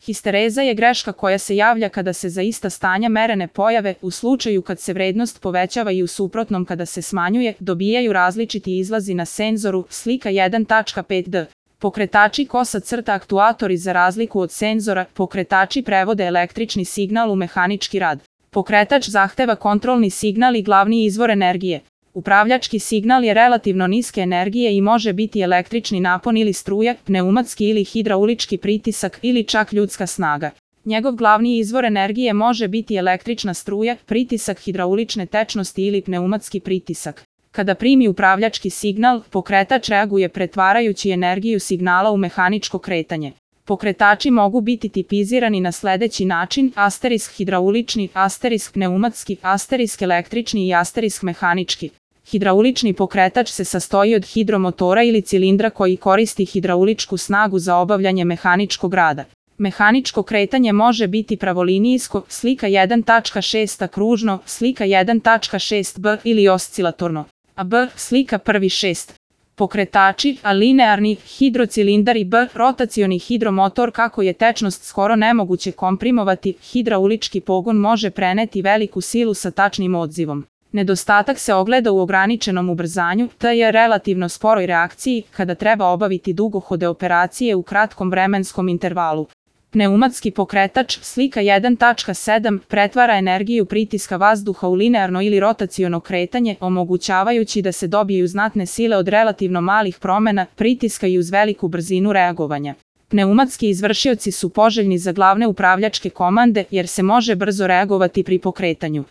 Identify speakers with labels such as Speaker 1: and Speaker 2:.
Speaker 1: Histereza je greška koja se javlja kada se za ista stanja merene pojave, u slučaju kad se vrednost povećava i u suprotnom kada se smanjuje, dobijaju različiti izlazi na senzoru, slika 1.5d. Pokretači kosa-aktuatori. Za razliku od senzora, pokretači prevode električni signal u mehanički rad. Pokretač zahteva kontrolni signal i glavni izvor energije. Upravljački signal je relativno niske energije i može biti električni napon ili struja, pneumatski ili hidraulički pritisak ili čak ljudska snaga. Njegov glavni izvor energije može biti električna struja, pritisak hidraulične tečnosti ili pneumatski pritisak. Kada primi upravljački signal, pokretač reaguje pretvarajući energiju signala u mehaničko kretanje. Pokretači mogu biti tipizirani na sledeći način: asterisk hidraulični, asterisk pneumatski, asterisk električni i asterisk mehanički. Hidraulični pokretač se sastoji od hidromotora ili cilindra koji koristi hidrauličku snagu za obavljanje mehaničkog rada. Mehaničko kretanje može biti pravolinijsko, slika 1.6a kružno, slika 1.6b ili oscilatorno. B. Slika 1.6. Pokretači, a linearni, hidrocilindar i B. Rotacioni hidromotor. Kako je tečnost skoro nemoguće komprimovati, hidraulički pogon može preneti veliku silu sa tačnim odzivom. Nedostatak se ogleda u ograničenom ubrzanju, te relativno sporoj reakciji, kada treba obaviti dugohode operacije u kratkom vremenskom intervalu. Pneumatski pokretač, slika 1.7, pretvara energiju pritiska vazduha u linearno ili rotaciono kretanje, omogućavajući da se dobiju znatne sile od relativno malih promena pritiska i uz veliku brzinu reagovanja. Pneumatski izvršioci su poželjni za glavne upravljačke komande jer se može brzo reagovati pri pokretanju.